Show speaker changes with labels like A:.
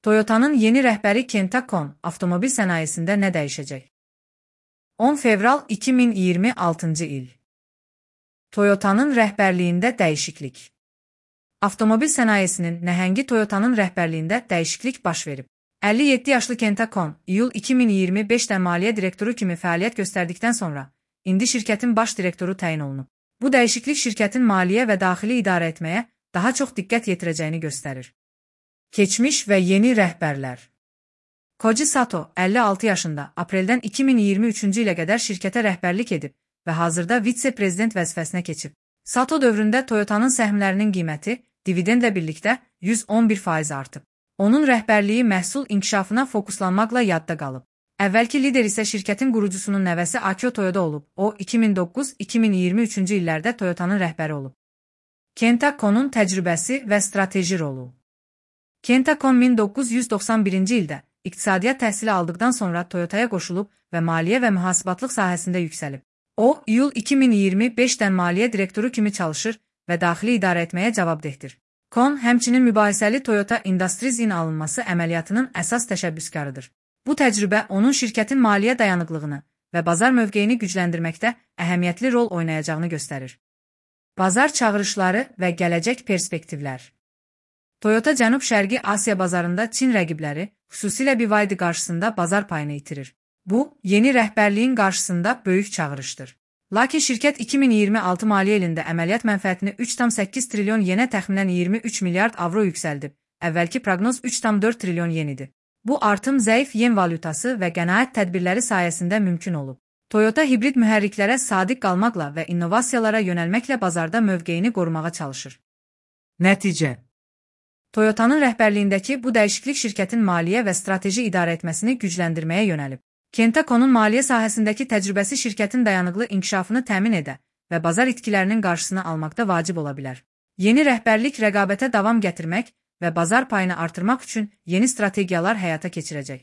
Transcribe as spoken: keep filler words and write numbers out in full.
A: Toyota'nın yeni rəhbəri Kenta Kon avtomobil sənayesində nə dəyişəcək? on fevral iki min iyirmi altıncı il. Toyota'nın rəhbərliyində dəyişiklik. Avtomobil sənayesinin nəhəngi Toyota'nın rəhbərliyində dəyişiklik baş verib. əlli yeddi yaşlı Kenta Kon, iyul iki min iyirmi beşdə maliyyə direktoru kimi fəaliyyət göstərdikdən sonra, indi şirkətin baş direktoru təyin olunub. Bu dəyişiklik şirkətin maliyyə və daxili idarə etməyə daha çox diqqət yetirəcəyini göstərir. Keçmiş və yeni rəhbərlər. Koji Sato, əlli altı yaşında, apreldən iki min iyirmi üçüncü ilə qədər şirkətə rəhbərlik edib və hazırda vitse-prezident vəzifəsinə keçib. Sato dövründə Toyota'nın səhmlərinin qiyməti dividendlə birlikdə yüz on bir faiz artıb. Onun rəhbərliyi məhsul inkişafına fokuslanmaqla yadda qalıb. Əvvəlki lider isə şirkətin qurucusunun nəvəsi Akio Toyoda olub. O, iki min doqquz iki min iyirmi üçüncü illərdə Toyota'nın rəhbəri olub. Kenta Kon'un təcrübəsi və strateji rolu. Kenta Kon min doqquz yüz doxsan birinci ildə iqtisadiyyat təhsili aldıqdan sonra Toyota'ya qoşulub və maliyyə və mühasibatlıq sahəsində yüksəlib. O, iyul iki min iyirmi beşdən maliyyə direktoru kimi çalışır və daxili idarə etməyə cavabdehdir. Kon, həmçinin mübahisəli Toyota Industries-in alınması əməliyyatının əsas təşəbbüskarıdır. Bu təcrübə onun şirkətin maliyyə dayanıqlığını və bazar mövqeyini gücləndirməkdə əhəmiyyətli rol oynayacağını göstərir. Bazar çağırışları və gələcək perspektivlər. Toyota Cənub-Şərqi Asiya bazarında Çin rəqibləri, xüsusilə B Y D qarşısında bazar payını itirir. Bu, yeni rəhbərliyin qarşısında böyük çağırışdır. Lakin şirkət iki min iyirmi altı maliyyə ilində əməliyyat mənfəətini üç tam səkkiz trilyon yenə təxminən iyirmi üç milyard avro yüksəldib. Əvvəlki proqnoz üç tam dörd trilyon yen idi. Bu artım zəif yen valyutası və qənaət tədbirləri sayəsində mümkün olub. Toyota hibrid mühərriklərə sadiq qalmaqla və innovasiyalara yönəlməklə bazarda mövqeyini qorumağa çalışır. Nəticə. Toyota'nın rəhbərliyindəki bu dəyişiklik şirkətin maliyyə və strateji idarə etməsini gücləndirməyə yönəlib. Kenta Kon'un maliyyə sahəsindəki təcrübəsi şirkətin dayanıqlı inkişafını təmin edə və bazar itkilərinin qarşısını almaqda vacib ola bilər. Yeni rəhbərlik rəqabətə davam gətirmək və bazar payını artırmaq üçün yeni strategiyalar həyata keçirəcək.